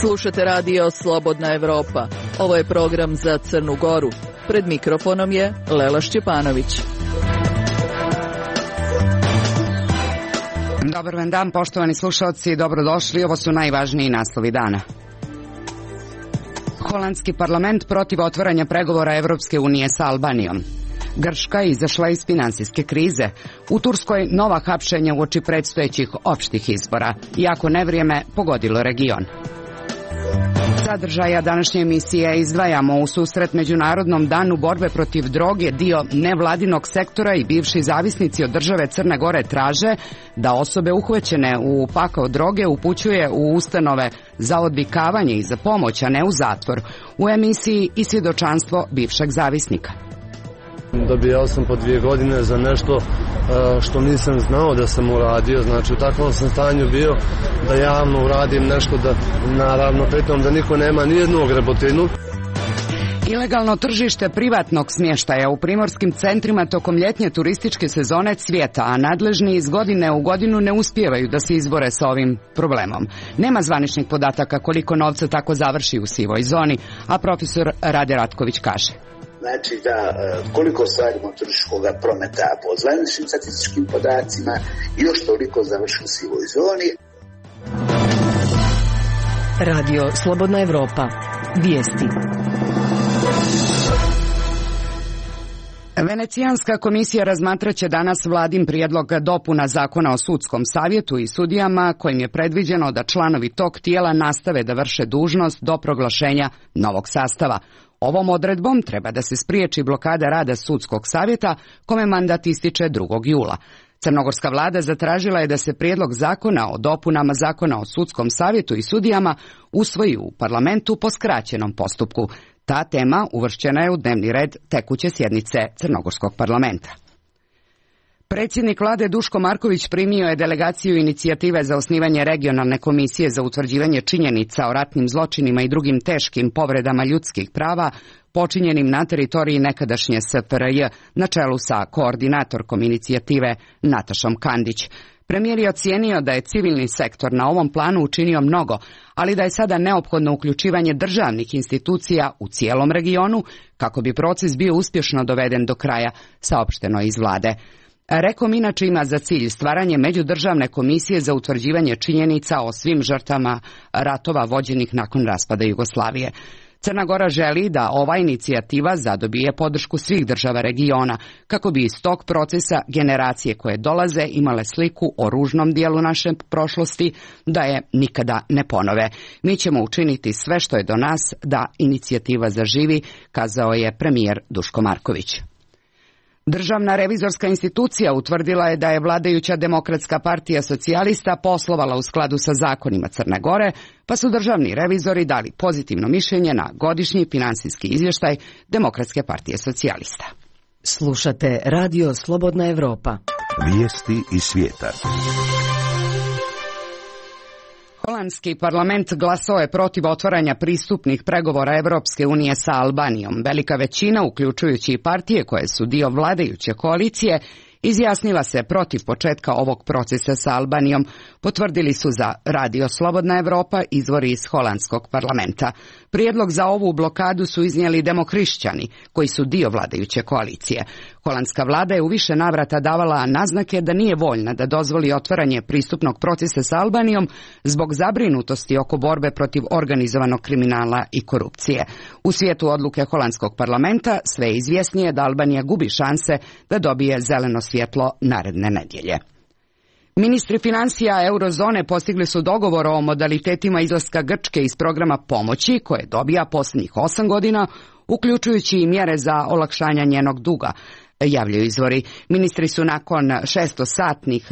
Slušate radio Slobodna Evropa. Ovo je program za Crnu Goru. Pred mikrofonom je Lela Šćepanović. Dobar vam dan, poštovani slušalci, dobrodošli. Ovo su najvažniji naslovi dana. Holandski parlament protiv otvaranja pregovora Evropske unije sa Albanijom. Grčka izašla iz finansijske krize. U Turskoj nova hapšenja uoči predstojećih opštih izbora. Iako nevrijeme pogodilo region. Sadržaja današnje emisije izdvajamo u susret Međunarodnom danu borbe protiv droge. Dio nevladinog sektora i bivši zavisnici od države Crne Gore traže da osobe uhvaćene u pakao droge upućuje u ustanove za odvikavanje i za pomoć, a ne u zatvor. U emisiji i svjedočanstvo bivšeg zavisnika. Dobijao sam po 2 godine za nešto što nisam znao da sam uradio, znači u takvom sam stanju bio da javno uradim nešto, da naravno pritom da niko nema nijednu grebotinu. Ilegalno tržište privatnog smještaja u primorskim centrima tokom ljetnje turističke sezone cvijeta, a nadležni iz godine u godinu ne uspijevaju da se izbore sa ovim problemom. Nema zvaničnih podataka koliko novca tako završi u sivoj zoni, a profesor Rade Ratković kaže. Znači da koliko ostvarimo turističkog prometa po zvaničnim statističkim podacima i još toliko završi u sivoj zoni. Radio Slobodna Evropa. Vijesti. Venecijanska komisija razmatraće danas vladin prijedlog dopuna zakona o sudskom savjetu i sudijama kojim je predviđeno da članovi tog tijela nastave da vrše dužnost do proglašenja novog sastava. Ovom odredbom treba da se spriječi blokada rada sudskog savjeta kome mandat ističe 2. jula. Crnogorska vlada zatražila je da se prijedlog zakona o dopunama zakona o sudskom savjetu i sudijama usvoji u parlamentu po skraćenom postupku. Ta tema uvršćena je u dnevni red tekuće sjednice Crnogorskog parlamenta. Predsjednik vlade Duško Marković primio je delegaciju inicijative za osnivanje regionalne komisije za utvrđivanje činjenica o ratnim zločinima i drugim teškim povredama ljudskih prava počinjenim na teritoriji nekadašnje SFRJ na čelu sa koordinatorkom inicijative Natašom Kandić. Premijer je ocijenio da je civilni sektor na ovom planu učinio mnogo, ali da je sada neophodno uključivanje državnih institucija u cijelom regionu kako bi proces bio uspješno doveden do kraja, saopšteno iz vlade. Rekom inače ima za cilj stvaranje međudržavne komisije za utvrđivanje činjenica o svim žrtvama ratova vođenih nakon raspada Jugoslavije. Crna Gora želi da ova inicijativa zadobije podršku svih država regiona, kako bi iz tog procesa generacije koje dolaze imale sliku o ružnom dijelu naše prošlosti, da je nikada ne ponove. Mi ćemo učiniti sve što je do nas da inicijativa zaživi, kazao je premijer Duško Marković. Državna revizorska institucija utvrdila je da je vladajuća Demokratska partija socijalista poslovala u skladu sa zakonima Crne Gore, pa su državni revizori dali pozitivno mišljenje na godišnji finansijski izvještaj Demokratske partije socijalista. Slušate radio Slobodna Evropa. Vijesti iz svijeta. Holandski parlament glasao je protiv otvaranja pristupnih pregovora Evropske unije sa Albanijom. Velika većina, uključujući i partije koje su dio vladajuće koalicije, izjasnila se protiv početka ovog procesa sa Albanijom, potvrdili su za radio Slobodna Evropa izvori iz holandskog parlamenta. Prijedlog za ovu blokadu su iznijeli demokrišćani, koji su dio vladajuće koalicije. Holandska vlada je u više navrata davala naznake da nije voljna da dozvoli otvaranje pristupnog procesa sa Albanijom zbog zabrinutosti oko borbe protiv organizovanog kriminala i korupcije. U svijetu odluke holandskog parlamenta sve je izvjesnije da Albanija gubi šanse da dobije zeleno svjetlo naredne nedjelje. Ministri financija eurozone postigli su dogovor o modalitetima izlaska Grčke iz programa pomoći koje dobija posljednjih 8 godina, uključujući i mjere za olakšanje njenog duga, javljaju izvori. Ministri su nakon 600-satnih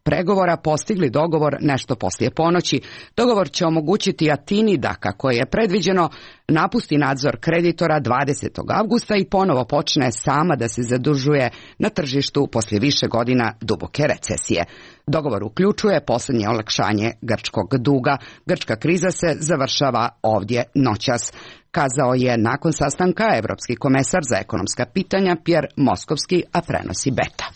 pregovora postigli dogovor nešto poslije ponoći. Dogovor će omogućiti Atini da, kako je predviđeno, napusti nadzor kreditora 20. avgusta i ponovo počne sama da se zadužuje na tržištu poslije više godina duboke recesije. Dogovor uključuje posljednje olakšanje grčkog duga. Grčka kriza se završava ovdje noćas. kazao je nakon sastanka evropski komesar za ekonomska pitanja Pierre Moskovski, a prenosi Beta.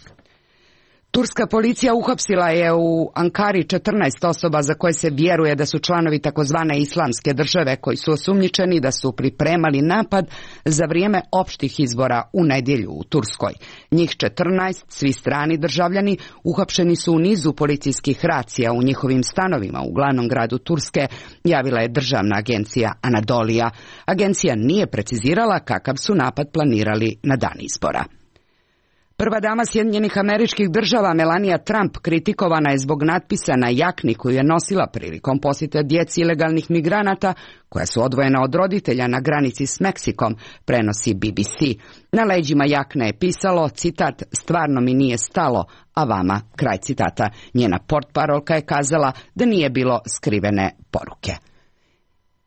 Turska policija uhapsila je u Ankari 14 osoba za koje se vjeruje da su članovi takozvane islamske države koji su osumnjičeni da su pripremali napad za vrijeme opštih izbora u nedjelju u Turskoj. Njih 14, svi strani državljani, uhapšeni su u nizu policijskih racija u njihovim stanovima u glavnom gradu Turske, javila je državna agencija Anadolija. Agencija nije precizirala kakav su napad planirali na dan izbora. Prva dama Sjedinjenih Američkih Država Melania Trump kritikovana je zbog natpisa na jakni koju je nosila prilikom posjeta djeci ilegalnih migranata koja su odvojena od roditelja na granici s Meksikom, prenosi BBC. Na leđima jakne je pisalo, citat, stvarno mi nije stalo, a vama, kraj citata. Njena portparolka je kazala da nije bilo skrivene poruke.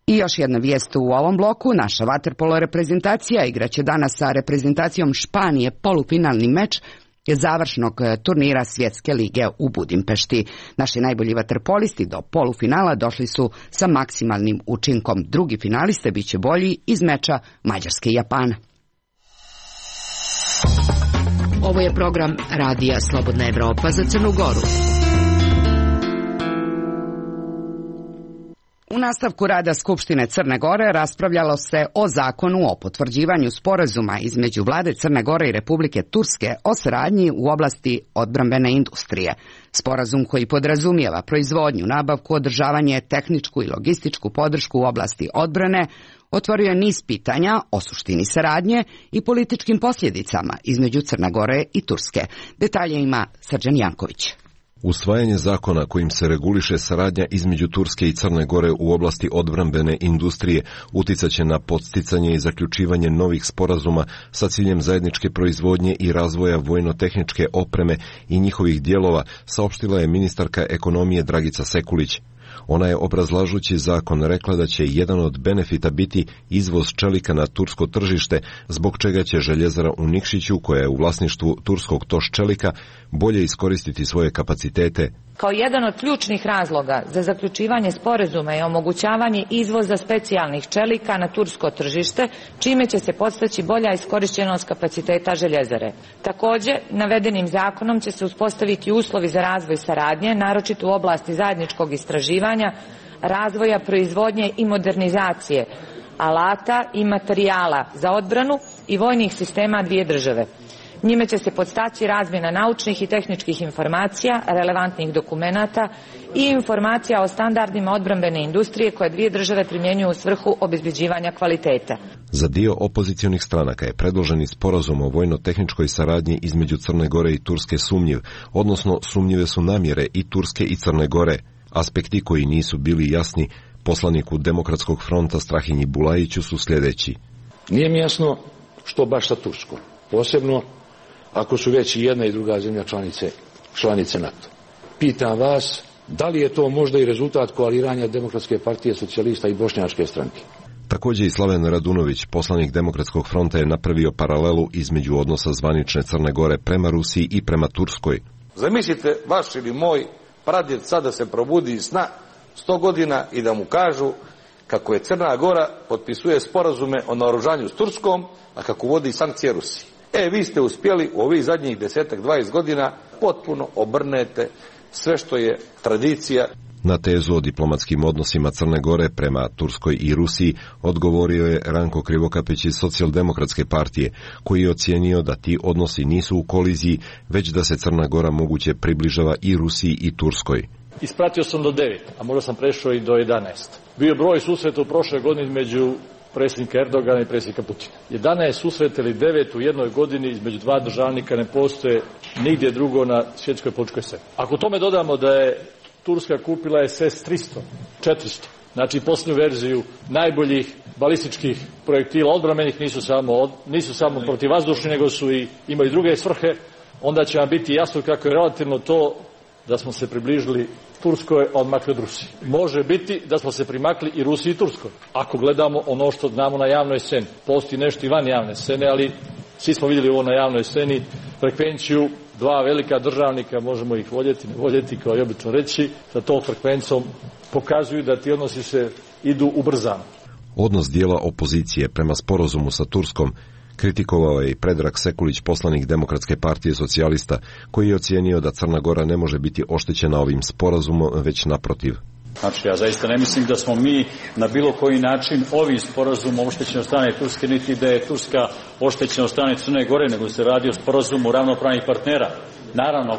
I još jedna vijest u ovom bloku, naša vaterpolo reprezentacija igraće danas sa reprezentacijom Španije polufinalni meč završnog turnira Svjetske lige u Budimpešti. Naši najbolji vaterpolisti do polufinala došli su sa maksimalnim učinkom. Drugi finaliste biće bolji iz meča Mađarske i Japana. Ovo je program Radija Slobodna Evropa za Crnu Goru. U nastavku rada Skupštine Crne Gore raspravljalo se o zakonu o potvrđivanju sporazuma između vlade Crne Gore i Republike Turske o saradnji u oblasti odbrambene industrije. Sporazum koji podrazumijeva proizvodnju, nabavku, održavanje, tehničku i logističku podršku u oblasti odbrane otvorio je niz pitanja o suštini saradnje i političkim posljedicama između Crne Gore i Turske. Detalje ima Srđan Janković. Usvajanje zakona kojim se reguliše saradnja između Turske i Crne Gore u oblasti odbrambene industrije uticaće na podsticanje i zaključivanje novih sporazuma sa ciljem zajedničke proizvodnje i razvoja vojno-tehničke opreme i njihovih dijelova, saopštila je ministarka ekonomije Dragica Sekulić. Ona je obrazlažući zakon rekla da će jedan od benefita biti izvoz čelika na tursko tržište, zbog čega će željezara u Nikšiću, koja je u vlasništvu turskog TOŠ čelika, bolje iskoristiti svoje kapacitete. Kao jedan od ključnih razloga za zaključivanje sporazuma je omogućavanje izvoza specijalnih čelika na tursko tržište, čime će se postići bolja iskorištenost kapaciteta željezare. Također, navedenim zakonom će se uspostaviti uslovi za razvoj saradnje, naročito u oblasti zajedničkog istraživanja, razvoja, proizvodnje i modernizacije alata i materijala za odbranu i vojnih sistema dvije države. Njime će se podstaći razmjena naučnih i tehničkih informacija, relevantnih dokumenata i informacija o standardima odbrambene industrije koje dvije države primjenjuju u svrhu obezbeđivanja kvaliteta. Za dio opozicionih stranaka je predloženi sporazum o vojno-tehničkoj saradnji između Crne Gore i Turske sumnjiv, odnosno sumnjive su namjere i Turske i Crne Gore. Aspekti koji nisu bili jasni poslaniku Demokratskog fronta Strahinji Bulajiću su sljedeći. Nije mi jasno što baš sa Turskom, posebno ako su već i jedna i druga zemlja članice NATO. Pitam vas, da li je to možda i rezultat koaliranja Demokratske partije socijalista i Bošnjačke stranke? Također i Slaven Radunović, poslanik Demokratskog fronta, je napravio paralelu između odnosa zvanične Crne Gore prema Rusiji i prema Turskoj. Zamislite vaš ili moj pradjed sada se probudi iz sna 100 godina i da mu kažu kako je Crna Gora potpisuje sporazume o naoružanju s Turskom, a kako vodi sankcije Rusiji. Vi ste uspjeli u ovih zadnjih 10-20 godina potpuno obrnete sve što je tradicija. Na tezu o diplomatskim odnosima Crne Gore prema Turskoj i Rusiji odgovorio je Ranko Krivokapić iz Socijaldemokratske partije, koji je ocijenio da ti odnosi nisu u koliziji, već da se Crna Gora moguće približava i Rusiji i Turskoj. Ispratio sam do 9, a možda sam prešao i do 11. Bio broj susreta u prošle godine između predsjednika Erdogana i predsjednika Putina. 11 susreta ili 9 u jednoj godini između dva državnika ne postoje nigdje drugo na svjetskoj političkoj sceni. Ako tome dodamo da je Turska kupila SS-300, 400, znači posljednju verziju najboljih balističkih projektila odbrambenih, nisu samo protivvazdušni, nego su imaju druge svrhe, onda će vam biti jasno kako je relativno to da smo se približili Turskoj, a odmakli od Rusiji. Može biti da smo se primakli i Rusiji i Turskoj. Ako gledamo ono što znamo na javnoj sceni. Postoji nešto i van javne scene, ali svi smo vidjeli ovo na javnoj sceni. Frekvenciju dva velika državnika, možemo ih voljeti, ne voljeti, kao i obično reći, sa tom frekvencijom pokazuju da ti odnosi se idu ubrzano. Odnos dijela opozicije prema sporazumu sa Turskom kritikovao je i Predrag Sekulić, poslanik Demokratske partije socijalista, koji je ocijenio da Crna Gora ne može biti oštećena ovim sporazumom, već naprotiv. Znači, ja zaista ne mislim da smo mi na bilo koji način ovim sporazumom oštećeni od strane Turske, niti da je Turska oštećena od strane Crne Gore, nego se radi o sporazumu ravnopravnih partnera. Naravno,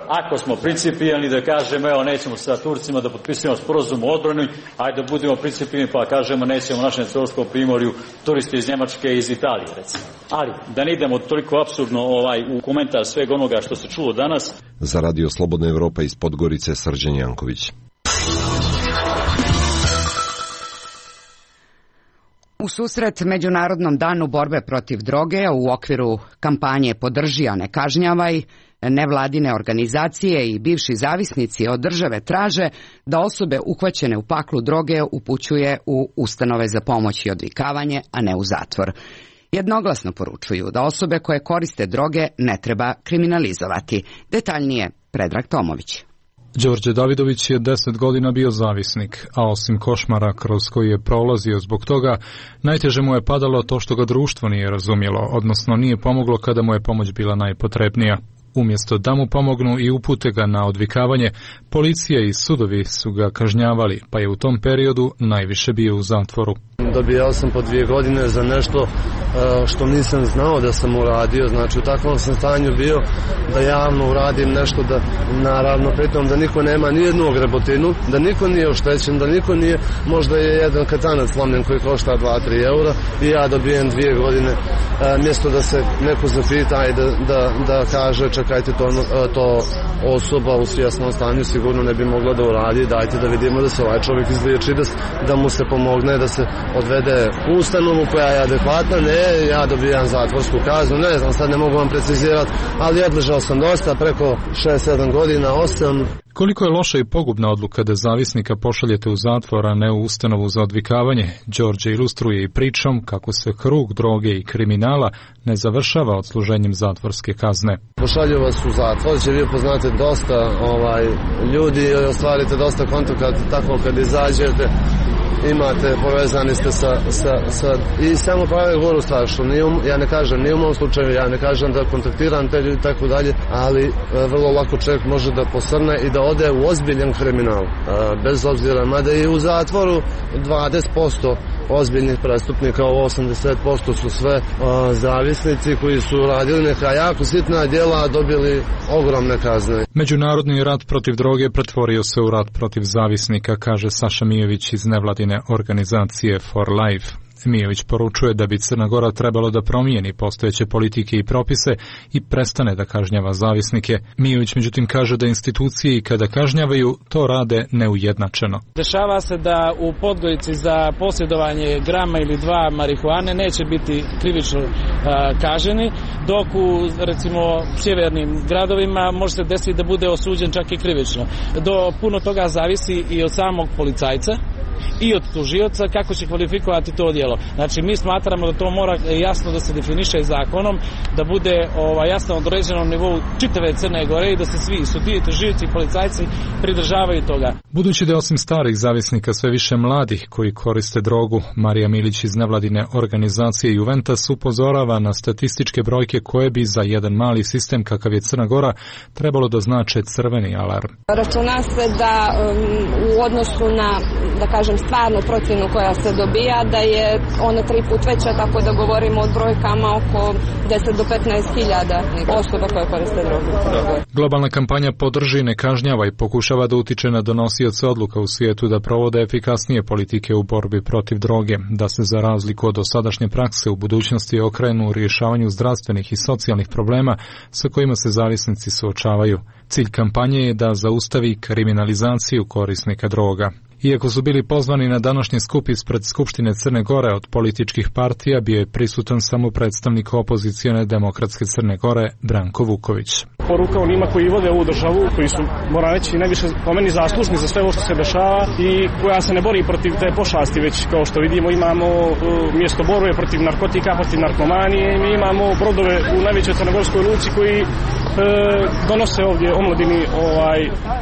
ako smo principijelni da kažemo, evo, nećemo sa Turcima da potpisujemo sporazum o odbrani, ajde da budemo principijelni pa kažemo nećemo našem Crnogorskom primorju turiste iz Njemačke i iz Italije, recimo. Ali, da ne idemo toliko apsurdno u komentar svega onoga što se čulo danas. Za Radio Slobodna Evropa iz Podgorice, Srđan Janković. U susret Međunarodnom danu borbe protiv droge u okviru kampanje Podrži, a ne kažnjavaj, nevladine organizacije i bivši zavisnici od države traže da osobe uhvaćene u paklu droge upućuje u ustanove za pomoć i odvikavanje, a ne u zatvor. Jednoglasno poručuju da osobe koje koriste droge ne treba kriminalizovati. Detaljnije Predrag Tomović. Đorđe Davidović je 10 godina bio zavisnik, a osim košmara kroz koji je prolazio zbog toga, najteže mu je padalo to što ga društvo nije razumjelo, odnosno nije pomoglo kada mu je pomoć bila najpotrebnija. Umjesto da mu pomognu i upute ga na odvikavanje, policija i sudovi su ga kažnjavali, pa je u tom periodu najviše bio u zatvoru. Dobijao sam po 2 godine za nešto što nisam znao da sam uradio, znači u takvom sam stanju bio da javno uradim nešto, da naravno pritom da niko nema ni jednu ogrebotinu, da niko nije oštećen, da niko nije, možda je jedan katanac slomljen koji košta 2-3 eura i ja dobijem 2 godine, mjesto da se neko zapita i da kaže čekajte to osoba u svjesnom stanju sigurno ne bi mogla da uradi, dajte da vidimo da se ovaj čovjek izliječi, da mu se pomogne, da se odvede u ustanovu koja je adekvatna, ne, ja dobijam zatvorsku kaznu, ne znam, sad ne mogu vam precizirati, ali odležao sam dosta, preko 6-7 godina, 8. Koliko je loša i pogubna odluka da zavisnika pošaljete u zatvor, a ne u ustanovu za odvikavanje, Đorđe ilustruje i pričom kako se krug droge i kriminala ne završava odsluženjem zatvorske kazne. Pošalju vas u zatvor, će vi upoznate dosta ljudi i ostvarite dosta kontakata, tako kad izađete imate, povezani ste sa i samo prave goru stvar, što ja ne kažem, nije u mom slučaju, ja ne kažem da kontaktiram te ljudi tako dalje, ali vrlo lako čovjek može da posrne i da ode u ozbiljan kriminal, bez obzira, mada i u zatvoru 20% ozbiljnih prestupnika, ovo 80% su sve zavisnici koji su radili neka jako sitna djela, dobili ogromne kazne. Međunarodni rat protiv droge pretvorio se u rat protiv zavisnika, kaže Saša Mijović iz nevladine organizacije For Life. Mijović poručuje da bi Crna Gora trebalo da promijeni postojeće politike i propise i prestane da kažnjava zavisnike. Mijović međutim kaže da institucije i kada kažnjavaju to rade neujednačeno. Dešava se da u Podgorici za posjedovanje grama ili 2 marihuane neće biti krivično kažnjeni, dok u recimo sjevernim gradovima može se desiti da bude osuđen čak i krivično. Do puno toga zavisi i od samog policajca i od tužioca kako će kvalifikovati to djelo. Znači mi smatramo da to mora jasno da se definiše zakonom, da bude jasno određeno na nivou čitave Crne Gore i da se svi sudije, tužioci i policajci pridržavaju toga. Budući da osim starih zavisnika sve više mladih koji koriste drogu, Marija Milić iz nevladine organizacije Juventus upozorava na statističke brojke koje bi za jedan mali sistem kakav je Crna Gora trebalo da znače crveni alarm. Računa se da u odnosu na, da kažem, stvarnu procjenu koja se dobija, da je ona 3 puta veća, tako da govorimo o brojkama oko 10 do 15.000 osoba koje koriste drogu. Globalna kampanja Podrži, ne kažnjavaj pokušava da utiče na donosioce odluka u svijetu da provode efikasnije politike u borbi protiv droge, da se za razliku od dosadašnje prakse u budućnosti okrenu u rješavanju zdravstvenih i socijalnih problema sa kojima se zavisnici suočavaju. Cilj kampanje je da zaustavi kriminalizaciju korisnika droga. Iako su bili pozvani na današnji skup ispred Skupštine Crne Gore od političkih partija, bio je prisutan samo predstavnik opozicione Demokratske Crne Gore Branko Vuković. poruka onima koji vode ovu državu, koji su, moram reći, najviše po meni zaslužni za sve ovo što se dešava i koja se ne bori protiv te pošasti, već kao što vidimo imamo mjesto borbe protiv narkotika, protiv narkomanije, mi imamo brodove u najvećoj crnogorskoj luci koji donose ovdje omladini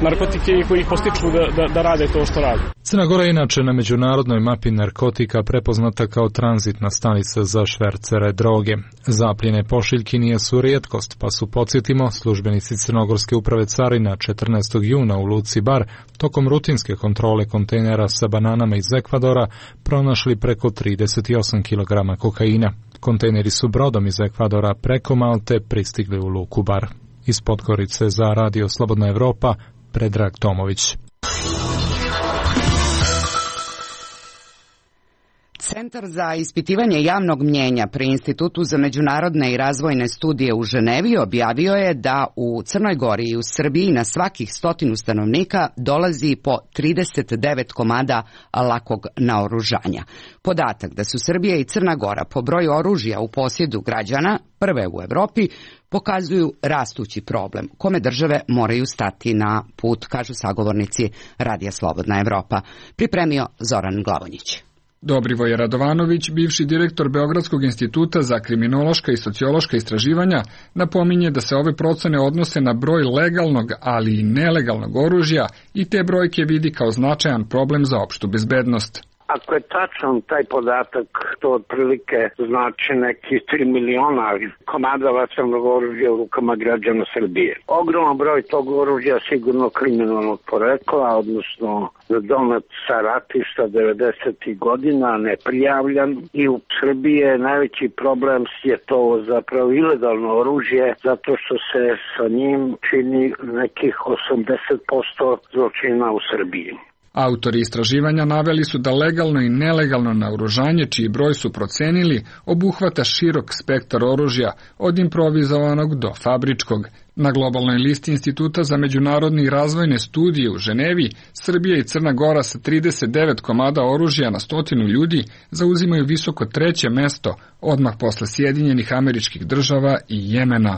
narkotike i koji ih postiču da rade to što rade. Crna Gora je inače na međunarodnoj mapi narkotika prepoznata kao tranzitna stanica za švercere droge. Zapljene pošiljki nije su rijetkost, pa su, podsjetimo, službenici Crnogorske uprave carina 14. juna u luci Bar tokom rutinske kontrole kontejnera sa bananama iz Ekvadora pronašli preko 38 kg kokaina. Kontejneri su brodom iz Ekvadora preko Malte pristigli u luku Bar. Iz Podgorice za Radio Slobodna Evropa, Predrag Tomović. Centar za ispitivanje javnog mnjenja pri Institutu za međunarodne i razvojne studije u Ženevi objavio je da u Crnoj Gori i u Srbiji na svakih 100 stanovnika dolazi po 39 komada lakog naoružanja. Podatak da su Srbija i Crna Gora po broju oružja u posjedu građana prve u Evropi pokazuju rastući problem kome države moraju stati na put, kažu sagovornici Radija Slobodna Evropa. Pripremio Zoran Glavonjić. Dobrivoje Radovanović, bivši direktor Beogradskog instituta za kriminološka i sociološka istraživanja, napominje da se ove procene odnose na broj legalnog, ali i nelegalnog oružja i te brojke vidi kao značajan problem za opštu bezbednost. Ako je tačan taj podatak, to otprilike znači nekih 3 miliona komada vatrenog oružja u rukama građana Srbije. Ogroman broj tog oružja sigurno kriminalnog porekla, odnosno donet sa ratišta 90. godina, neprijavljan, i u Srbiji je najveći problem je to zapravo ilegalno oružje, zato što se sa njim čini nekih 80% zločina u Srbiji. Autori istraživanja naveli su da legalno i nelegalno naoružanje, čiji broj su procenili, obuhvata širok spektar oružja, od improvizovanog do fabričkog. Na globalnoj listi Instituta za međunarodne i razvojne studije u Ženevi, Srbija i Crna Gora sa 39 komada oružja na 100 ljudi zauzimaju visoko 3. mesto, odmah posle Sjedinjenih Američkih Država i Jemena.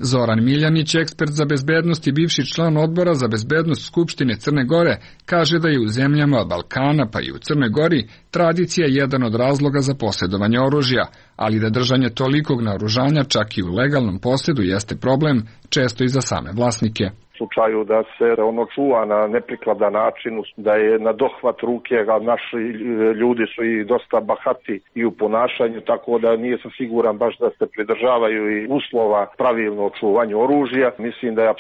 Zoran Miljanić, ekspert za bezbednost i bivši član odbora za bezbednost Skupštine Crne Gore, kaže da je u zemljama Balkana pa i u Crnoj Gori tradicija jedan od razloga za posjedovanje oružja, ali da držanje tolikog naoružanja čak i u legalnom posjedu jeste problem, često i za same vlasnike. U slučaju da se ono čuva na neprikladan način, da je na dohvat ruke, a naši ljudi su i dosta bahati i u ponašanju, tako da nije sam siguran baš da se pridržavaju i uslova pravilno čuvanje oružja. Mislim da je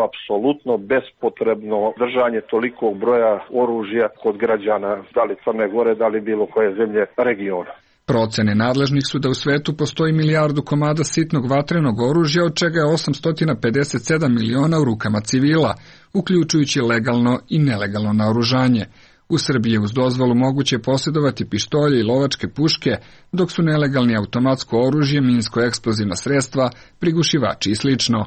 apsolutno bespotrebno držanje tolikog broja oružja kod građana, da li Crne Gore, da li bilo koje zemlje regiona. Procene nadležnih su da u svetu postoji 1 milijardu komada sitnog vatrenog oružja, od čega je 857 miliona u rukama civila, uključujući legalno i nelegalno naoružanje. U Srbiji je uz dozvolu moguće posjedovati pištolje i lovačke puške, dok su nelegalni automatsko oružje, minsko-eksplozivna sredstva, prigušivači i slično.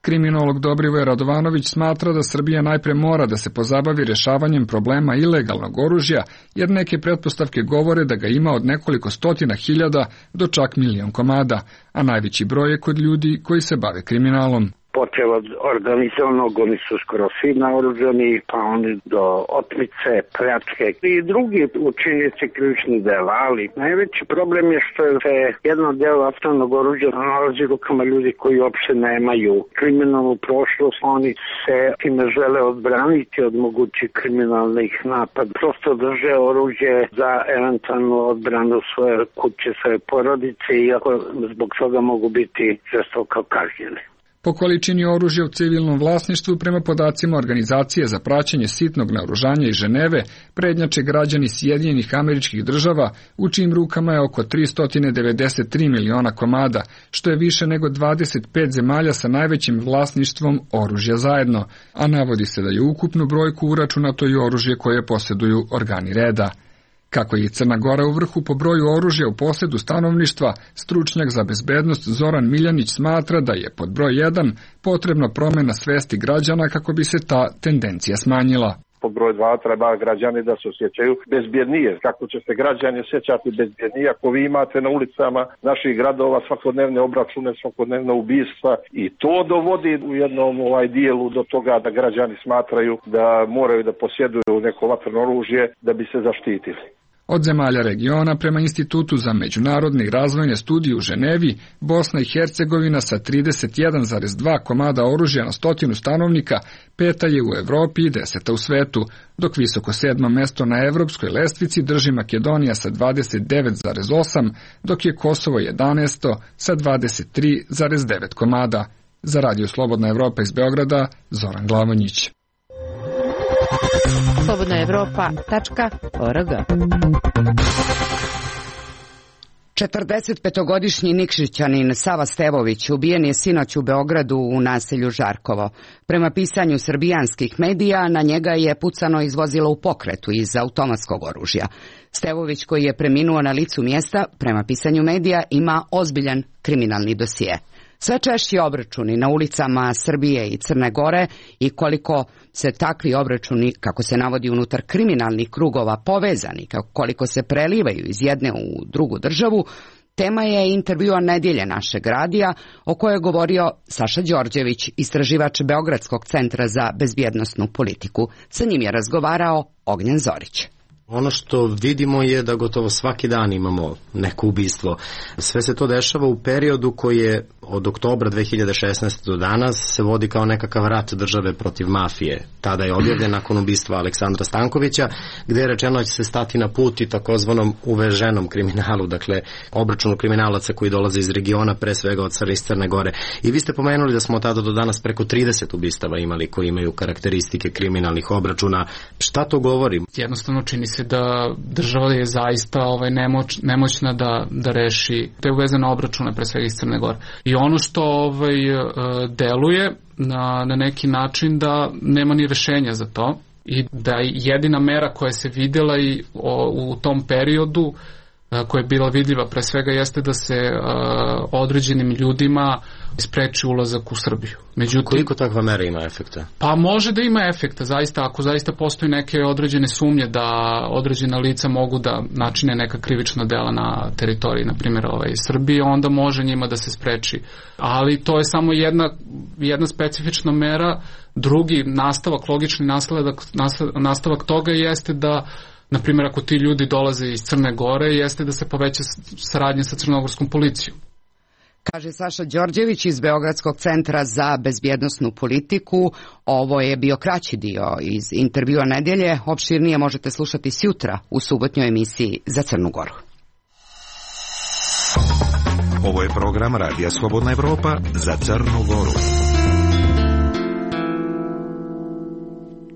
Kriminolog Dobrivoje Radovanović smatra da Srbija najpre mora da se pozabavi rešavanjem problema ilegalnog oružja, jer neke pretpostavke govore da ga ima od nekoliko stotina hiljada do čak 1 milion komada, a najveći broj je kod ljudi koji se bave kriminalom. Počeo od organizovanog, oni su skoro svi naoružani, pa oni do otmice, pljačke i drugi učinjenici krivičnih dela, ali najveći problem je što se jedno delo vatrenog oružja nalazi u rukama ljudi koji uopšte nemaju kriminalnu prošlost, oni se time žele odbraniti od mogućih kriminalnih napada. Prosto drže oružje za eventualnu odbranu svoje kuće, svoje porodice, iako zbog toga mogu biti žestoko kažnjeni. Po količini oružja u civilnom vlasništvu, prema podacima Organizacije za praćenje sitnog naoružanja iz Ženeve, prednjače građani Sjedinjenih Američkih Država, u čijim rukama je oko 393 miliona komada, što je više nego 25 zemalja sa najvećim vlasništvom oružja zajedno, a navodi se da je ukupnu brojku uračunato i oružje koje posjeduju organi reda. Kako je i Crna Gora u vrhu po broju oružja u posjedu stanovništva, stručnjak za bezbednost Zoran Miljanić smatra da je pod broj 1 potrebna promjena svesti građana kako bi se ta tendencija smanjila. pod broj 2 treba građani da se osjećaju bezbjednije. Kako će se građani osjećati bezbjednije ako vi imate na ulicama naših gradova svakodnevne obračune, svakodnevne ubistva i to dovodi u jednom dijelu do toga da građani smatraju da moraju da posjeduju neko vatreno oružje da bi se zaštitili. Od zemalja regiona prema Institutu za međunarodne i razvojne studije u Ženevi, Bosna i Hercegovina sa 31,2 komada oružja na 100 stanovnika peta je u Evropi i 10. u svetu, dok visoko 7. mesto na evropskoj lestvici drži Makedonija sa 29,8, dok je Kosovo 11. sa 23,9 komada. Za Radio Slobodna Evropa iz Beograda, Zoran Glavonjić. slobodnaevropa.org 45-godišnji Nikšićanin Sava Stevović ubijen je sinoć u Beogradu u naselju Žarkovo. Prema pisanju srbijanskih medija, na njega je pucano iz vozila u pokretu iz automatskog oružja. Stevović, koji je preminuo na licu mjesta, prema pisanju medija, ima ozbiljan kriminalni dosije. Sve češći obračuni na ulicama Srbije i Crne Gore i koliko se takvi obračuni, kako se navodi unutar kriminalnih krugova, povezani, koliko se prelivaju iz jedne u drugu državu, tema je intervjua Nedjelje našeg radija, o kojoj je govorio Saša Đorđević, istraživač Beogradskog centra za bezbjednosnu politiku. Sa njim je razgovarao Ognjen Zorić. Ono što vidimo je da gotovo svaki dan imamo neko ubistvo. Sve se to dešava u periodu koji je od oktobra 2016. do danas se vodi kao nekakav rat države protiv mafije. Tada je objavljen nakon ubistva Aleksandra Stankovića, gde je rečeno da će se stati na put i takozvanom uveženom kriminalu, dakle obračunu kriminalaca koji dolaze iz regiona, pre svega od Crne Gore. I vi ste pomenuli da smo od tada do danas preko 30 ubistava imali koji imaju karakteristike kriminalnih obračuna. Šta to govori? Jednostavno čini se da država je zaista nemoćna da reši te uvezene obračune, pre svega iz Crne Gore. I ono što deluje na neki način da nema ni rešenja za to i da jedina mera koja se vidjela i u tom periodu, koja je bila vidljiva pre svega, jeste da se određenim ljudima spreči ulazak u Srbiju. Međutim, koliko takva mera ima efekta? Pa može da ima efekta, zaista, ako zaista postoji neke određene sumnje da određena lica mogu da načine neka krivična dela na teritoriji, na primjer Srbije, onda može njima da se spreči. Ali to je samo jedna specifična mera. Drugi nastavak, logični nastavak toga jeste da, na primjer, ako ti ljudi dolaze iz Crne Gore, jeste da se poveća saradnja sa crnogorskom policijom. Kaže Saša Đorđević iz Beogradskog centra za bezbjednosnu politiku. Ovo je bio kraći dio iz intervjua Nedjelje. Opširnije možete slušati sjutra u subotnjoj emisiji za Crnu Goru. Ovo je program Radija Slobodna Evropa za Crnu Goru.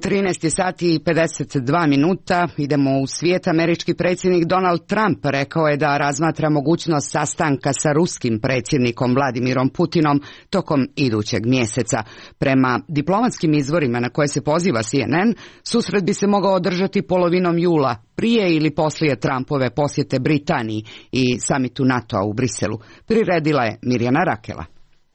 13 sati i 52 minuta, idemo u svijet. Američki predsjednik Donald Trump rekao je da razmatra mogućnost sastanka sa ruskim predsjednikom Vladimirom Putinom tokom idućeg mjeseca. Prema diplomatskim izvorima na koje se poziva CNN, susret bi se mogao održati polovinom jula, prije ili poslije Trumpove posjete Britaniji i samitu NATO-a u Briselu. Priredila je Mirjana Rakela.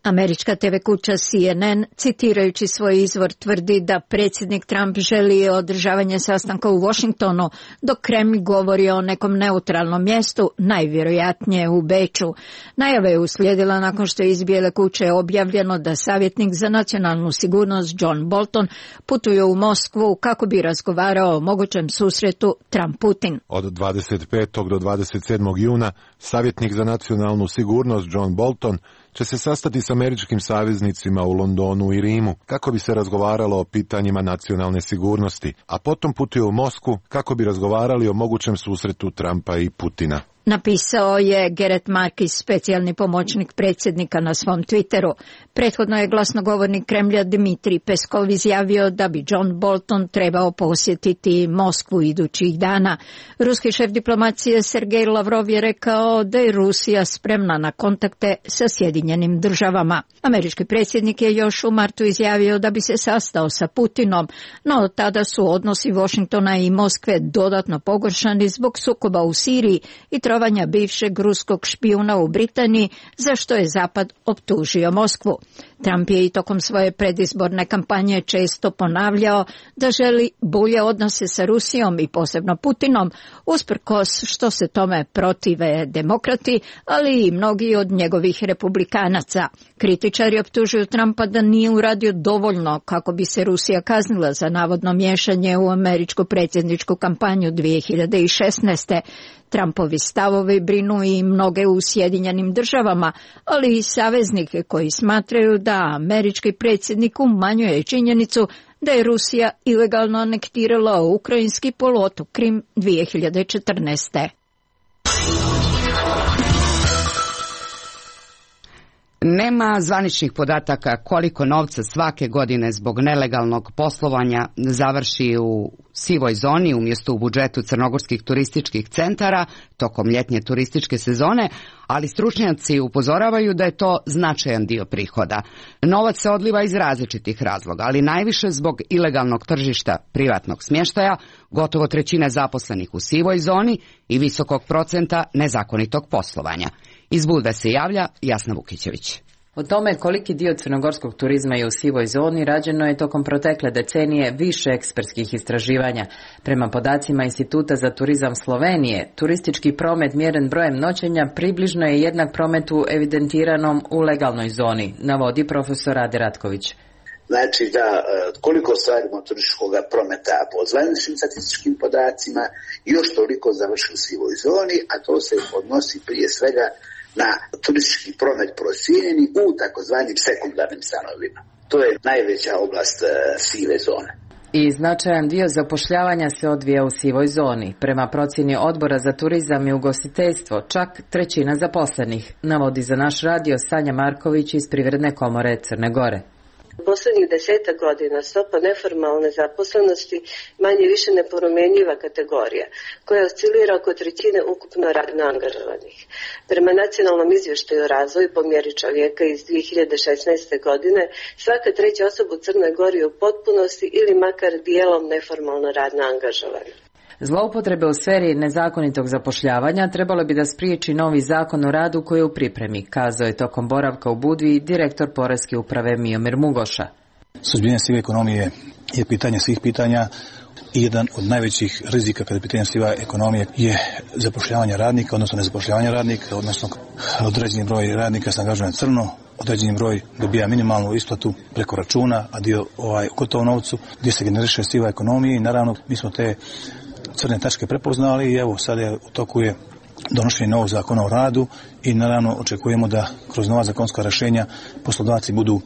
Američka TV kuća CNN, citirajući svoj izvor, tvrdi da predsjednik Trump želi održavanje sastanka u Washingtonu, dok Kremlj govori o nekom neutralnom mjestu, najvjerojatnije u Beču. Najava je uslijedila nakon što je iz Bijele kuće objavljeno da savjetnik za nacionalnu sigurnost John Bolton putuje u Moskvu kako bi razgovarao o mogućem susretu Trump-Putin. Od 25. do 27. juna savjetnik za nacionalnu sigurnost John Bolton će se sastati s američkim saveznicima u Londonu i Rimu kako bi se razgovaralo o pitanjima nacionalne sigurnosti, a potom putuje u Moskvu kako bi razgovarali o mogućem susretu Trumpa i Putina. Napisao je Gerrit Markis, specijalni pomoćnik predsjednika, na svom Twitteru. Prethodno je glasnogovornik Kremlja Dmitrij Peskov izjavio da bi John Bolton trebao posjetiti Moskvu idućih dana. Ruski šef diplomacije Sergej Lavrov je rekao da je Rusija spremna na kontakte sa Sjedinjenim državama. Američki predsjednik je još u martu izjavio da bi se sastao sa Putinom, no tada su odnosi Washingtona i Moskve dodatno pogoršani zbog sukoba u Siriji i trovanja bivšeg ruskog špijuna u Britaniji, za što je Zapad optužio Moskvu. Trump je i tokom svoje predizborne kampanje često ponavljao da želi bolje odnose sa Rusijom i posebno Putinom, usprkos što se tome protive demokrati, ali i mnogi od njegovih republikanaca. Kritičari optužuju Trumpa da nije uradio dovoljno kako bi se Rusija kaznila za navodno miješanje u američku predsjedničku kampanju 2016. Trumpovi stavovi brinu i mnoge u Sjedinjenim državama, ali i saveznike koji smatraju da američki predsjednik umanjuje činjenicu da je Rusija ilegalno anektirala ukrajinski poluotok Krim 2014. Nema zvaničnih podataka koliko novca svake godine zbog nelegalnog poslovanja završi u sivoj zoni umjesto u budžetu crnogorskih turističkih centara tokom ljetnje turističke sezone, ali stručnjaci upozoravaju da je to značajan dio prihoda. Novac se odliva iz različitih razloga, ali najviše zbog ilegalnog tržišta privatnog smještaja, gotovo trećina zaposlenih u sivoj zoni i visokog procenta nezakonitog poslovanja. Iz Budve se javlja Jasna Vukićević. O tome koliki dio crnogorskog turizma je u sivoj zoni rađeno je tokom protekle decenije više ekspertskih istraživanja. Prema podacima Instituta za turizam Slovenije, turistički promet mjeren brojem noćenja približno je jednak prometu evidentiranom u legalnoj zoni, navodi profesor Ade Ratković. Znači da koliko ostvarimo turističkog prometa po zvaničnim statističkim podacima, još toliko završi u sivoj zoni, a to se odnosi prije svega na turistički promet procijenjeni u takozvanim sekundarnim stanovima. To je najveća oblast sive zone. I značajan dio zapošljavanja se odvija u sivoj zoni. Prema procjeni Odbora za turizam i ugostiteljstvo, čak trećina zaposlenih, navodi za naš radio Sanja Marković iz Privredne komore Crne Gore. Poslednjih 10 godina stopa neformalne zaposlenosti manje više nepromjenjiva kategorija, koja oscilira oko trećine ukupno radno angažovanih. Prema nacionalnom izvještaju o razvoju po mjeri čovjeka iz 2016. godine, svaka treća osoba u Crnoj Gori je u potpunosti ili makar dijelom neformalno radno angažovana. Zloupotrebe u sferi nezakonitog zapošljavanja trebalo bi da spriječi novi zakon o radu koji je u pripremi, kazao je tokom boravka u Budvi direktor Poreske uprave Miomir Mugoša. Suzbijanje sive ekonomije je pitanje svih pitanja i jedan od najvećih rizika kada je pitanje siva ekonomije je zapošljavanje radnika, odnosno nezapošljavanje radnika, odnosno određeni broj radnika se angažuje na crno, određeni broj dobija minimalnu isplatu preko računa, a dio gotovo novcu gdje se generiše siva ekonomija i naravno mi smo te crne tačke prepoznali i evo sad je u toku je donošenje novog zakona o radu i naravno očekujemo da kroz nova zakonska rješenja poslodavci budu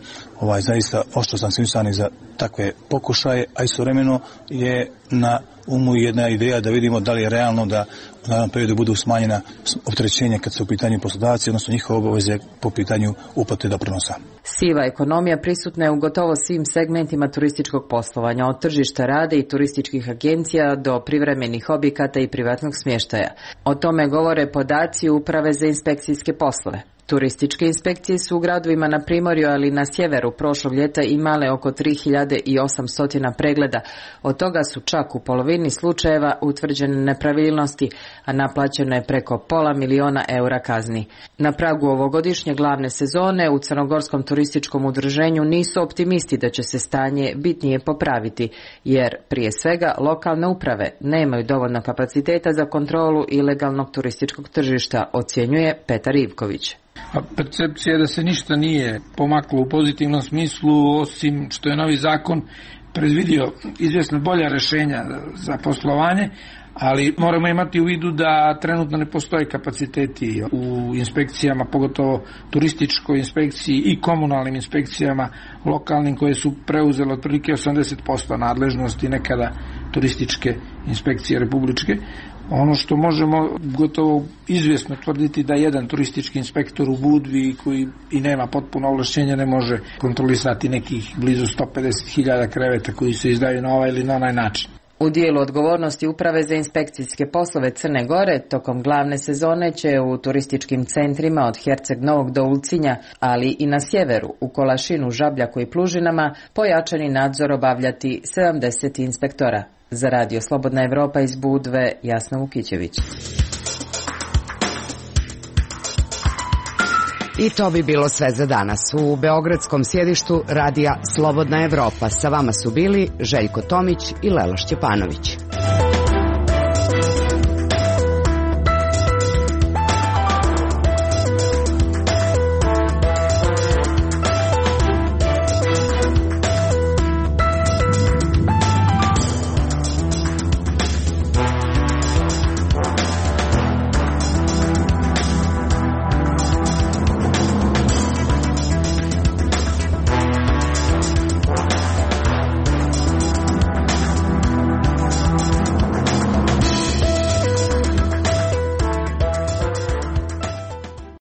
zaista oštro sankcionisani za takve pokušaje, a istovremeno je na umu jedna ideja da vidimo da li je realno da u narednom periodu budu smanjena opterećenja kad su u pitanju poslodavci, odnosno njihove obaveze po pitanju uplate doprinosa. Siva ekonomija prisutna je u gotovo svim segmentima turističkog poslovanja, od tržišta rada i turističkih agencija do privremenih objekata i privatnog smještaja. O tome govore podaci Uprave za inspekcijske poslove. Turističke inspekcije su u gradovima na Primorju, ali i na sjeveru prošlog ljeta imale oko 3800 pregleda. Od toga su čak u polovini slučajeva utvrđene nepravilnosti, a naplaćeno je preko $500 000 kazni. Na pragu ovogodišnje glavne sezone u Crnogorskom turističkom udruženju nisu optimisti da će se stanje bitnije popraviti, jer prije svega lokalne uprave nemaju dovoljno kapaciteta za kontrolu ilegalnog turističkog tržišta, ocjenjuje Petar Ivković. A percepcija je da se ništa nije pomaklo u pozitivnom smislu, osim što je novi zakon predvidio izvjesno bolja rješenja za poslovanje, ali moramo imati u vidu da trenutno ne postoje kapaciteti u inspekcijama, pogotovo turističkoj inspekciji i komunalnim inspekcijama lokalnim, koje su preuzele otprilike 80% nadležnosti nekada turističke inspekcije republičke. Ono što možemo gotovo izvjesno tvrditi da jedan turistički inspektor u Budvi koji i nema potpuno ovlašćenja ne može kontrolisati nekih blizu 150.000 kreveta koji se izdaju na ovaj ili na onaj način. U dijelu odgovornosti Uprave za inspekcijske poslove Crne Gore tokom glavne sezone će u turističkim centrima od Herceg Novog do Ulcinja, ali i na sjeveru, u Kolašinu, Žabljaku i Plužinama, pojačani nadzor obavljati 70 inspektora. Za radio Slobodna Evropa iz Budve, Jasna Vukićević. I to bi bilo sve za danas. U beogradskom sjedištu radija Slobodna Evropa sa vama su bili Željko Tomić i Lela Šćepanović.